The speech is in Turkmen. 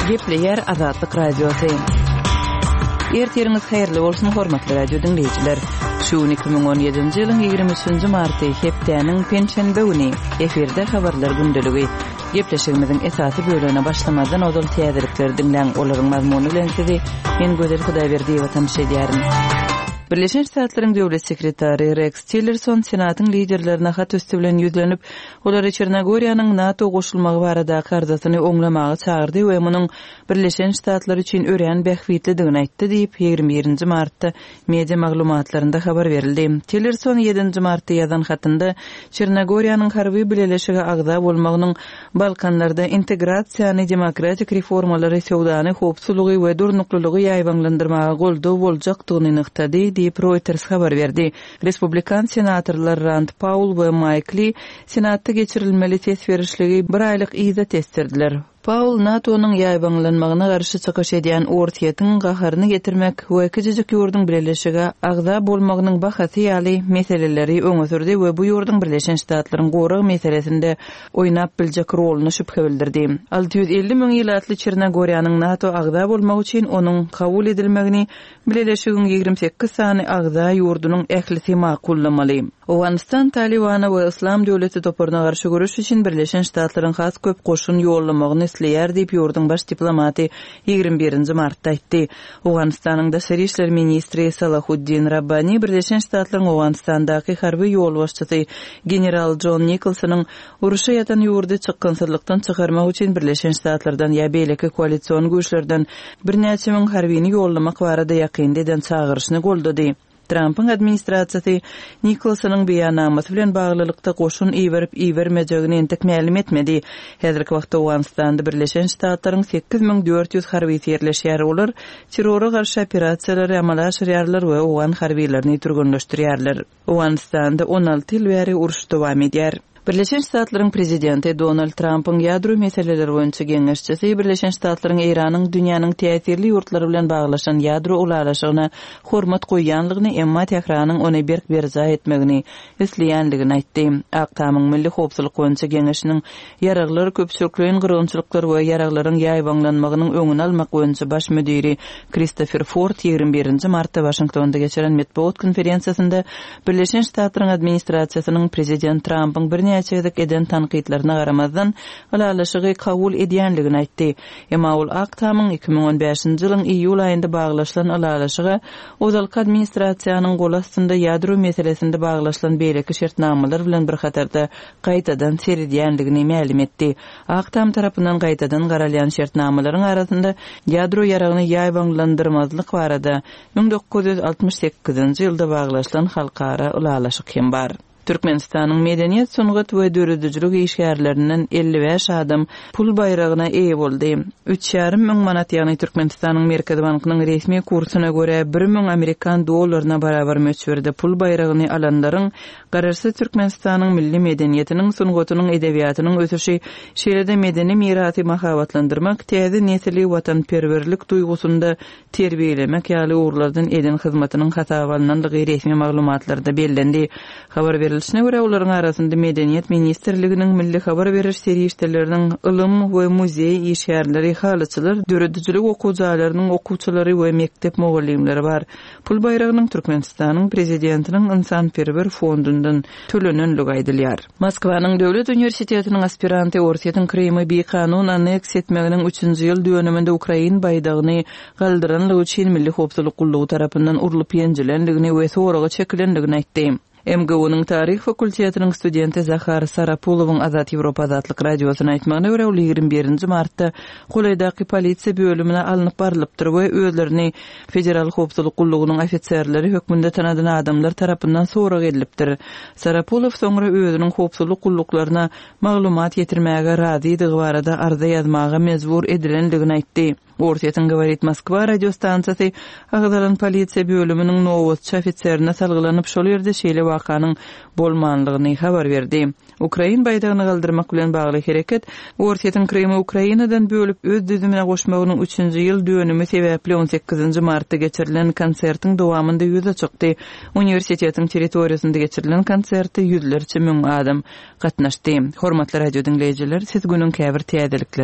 Gepleýär Azatlyk Radiosy. Ertiriňiz haýyrly bolsun, hormatly radio diňleýjiler. Şu gün 2017-nji ýylyň 23-nji marty, hepdäniň penşenbe güni. Efirde habarlar gündeligi. Gepleşigimiziň esasy bölegine başlamazdan ozal täzelikleri diňläň, olaryň mazmuny bilen sizi men Gözel Hudaýberdiýewa tanyş edýärin. Birleşen Ştatlaryň Döwlet sekretary Reks Tillerson Senatyň liderlerine hat üsti bilen ýüzlenip, olary Çernogoriýanyň NATO goşulmagy baradaky arzasyny oňlamaga çagyrdy we munuň Birleşen Ştatlar üçin örän bähbitlidigini aýtdy diýip, 21 nji martda Media maglumatlarynda habar berildi. Tillerson ýedinji martda ýazan hatynda Çernogoriýanyň harby bileleşige agza bolmagynyň Balkanlarda integrasiýany, demokratik reformalary, söwdany, howpsuzlygy we durnuklylygy ýaýbaňlandyrmaga goldaw boljakdygyny nygtady, diýip, Reuters habar berdi. Respublikan senatorlar Rand Paul we Maýk Li Senatda geçirilmeli ses berişligi bir aýlyk yza tesdirdiler. Paul NATO-nyň ýaýbaňlanmagyna garşy çykyş edýän Orsýetiň gaharyny getirmek we kiçijik ýurduň bileleşige agza bolmagynyň bahasy ýaly meseleleri öňe sürdi we bu ýurduň Birleşen Ştatlaryň gorag meselesinde oýnap biljek roluna şübhe bildirdi. 650 müň ilatly Çernogoriýanyň NATO agza bolmagy üçin onuň kabul edilmegini Bileleşigiň 28 sany agza ýurdunyň ählisi makullamaly. Owganystan Talybana we Yslam döwleti toparyna garşy göreş üçin Birleşen Ştatlaryň has köp goşun ýollamagyny isleýär diýip, ýurduň baş diplomaty 21 nji martda aýtdy. Owganystanyň daşary işler ministri Salahuddin Rabbani Birleşen Ştatlaryň Owganystandaky harby ýolbaşçysy general Jon Nikolsonyň Uruşa ýatan ýurdy çykgynsyzlykdan çykarmak üçin Birleşen Ştatlardan ýa beýleki koalision güýçlerden birnäçe müň harbini ýollamak barada ýakynda eden çagyryşyny goldady. Trampyň administrasiýasy Nikolsonyň beýannamasy bilen baglylykda goşun iberip-ibermejegini entek mälim etmedi. Häzirki wagtda Owganystanda Birleşen Ştatlaryň 8400 harbysy ýerleşýär, olar terrora garşy operasiýalary amala aşyrýarlar we owgan harbylaryny türgenleşdirýärler. Owganystanda 16 ýyl bäri uruş dowam edýär. Birleşen Ştatlaryň Prezidenti Donald Trampyň ýadro meseleleri boýunça geňeşçisi Birleşen Ştatlaryň Eýranyň dünýäniň täsirli ýurtlary bilen baglaşan ýadro ylalaşygyna hormat goýýanlygyny, emma Tähranyň ony berk berjaý etmegini isleýänligini aýtdy. Ak Tamyň Milli howpsuzlyk boýunça geňeşiniň ýaraglar, köpçülikleýin gyrgynçylyklar we ýaraglaryň ýaýbaňlanmagynyň öňüni almak boýunça baş müdiri Kristofer Ford 21 nji martda Waşingtonda geçiren metbugat konferensiýasynda Birleşen Ştatlaryň administrasiýasynyň prezident Trampyň birnäçe gezek eden tankytlaryna garamazdan, ylalaşygy kabul edýänligini aýtdy. Emma ol Ak Tamyň 2015-nji ýylyň iýul aýynda baglaşylan ylalaşyga ozalky administrasiýanyň goly astynda ýadro meselesinde baglaşylan beýleki şertnamalar bilen bir hatarda gaýtadan seredýändigini mälim etdi. Ak Tam tarapyndan gaýtadan garalýan şertnamalaryň arasynda ýadro ýaragyny ýaýbaňlandyrmazlyk barada 1968-nji ýylda baglaşylan halkara ylalaşyk hem bar. Türkmenistanyň medeniýet, sungat we döredijilik işgärlerinden 55 adam pul baýragyna eýe boldy. Üç ýarym müň manat, ýagny Türkmenistanyň Merkezi bankynyň resmi kursuna görä bir müň amerikan dollaryna barabar möçberde pul baýragyny alanlaryň Garaşsyz Türkmenistanyň milli medeniýetiniň, sungatynyň, edebiýatynyň ösüşi, şeýle-de medeni mirasy mahabatlandyrmak, täze nesli watanperwerlik duýgusynda terbiýelemek ýaly ugurlardan eden hyzmatynyň hasaba alnandygy resmi maglumatlarda bellendi. Habar berlişine görä, olaryň arasynda Medeniýet ministrliginiň, milli habar beriş serişdeleriniň, ylym we muzeý işgärleri, halyçylar, döredijilik okuw jaýlarynyň okuwçylary we mekdep mugallymlary bar. Pul baýragynyň Türkmenistanyň Prezidentiniň ynsanperwer fondundan tölenenligi aýdylýar. Moskwanyň Döwlet uniwersitetiniň aspiranty Orsýetiň Krymy bikanun anneksiýa etmeginiň üçünji ýyl dönüminde ukrain baýdagyny galdyranlygy üçin Milli howpsuzlyk gullugy tarapyndan urlup-ýenjilendigini we soraga çekilendigini aýtdy. MGU-nyň taryh fakultetiniň studenti Zahar Sarapulowyň Azat Ýewropa Azatlyk Radiosyna aýtmagyna görä, ol 21 nji martda golaýdaky polisiýa bölümine alnyp barlypdyr we özlerini Federal howpsuzlyk gullugynyň ofiserleri hökmünde tanadan adamlar tarapyndan sorag edilipdir. Sarapulow soňra özüniň howpsuzlyk gulluklaryna maglumat ýetirmäge razydygy barada arza ýazmaga mejbur edilendigini aýtdy. Orsýetiň Govorit Moskwa radiostansiýasy agzalan polisiýa bölüminiň nobatçy ofiserine salgylanyp, şol ýerde şeýle wakanyň bolmanlygyny habar berdi. Ukrain baýdagyny galdyrmak bilen bagly hereket Orsýetiň Krymy Ukrainadan bölüp öz düzümine goşmagynyň üçünji ýyl dönümi sebäpli on sekizinji martda geçirilen konsertiň dowamynda ýüze çykdy. Uniwersitetiň territoriýasynda geçirilen konserte ýüzlerçe müň adam gatnaşdy. Hormatly radiodiňleýjiler, siz günüň käbir täzelikleri.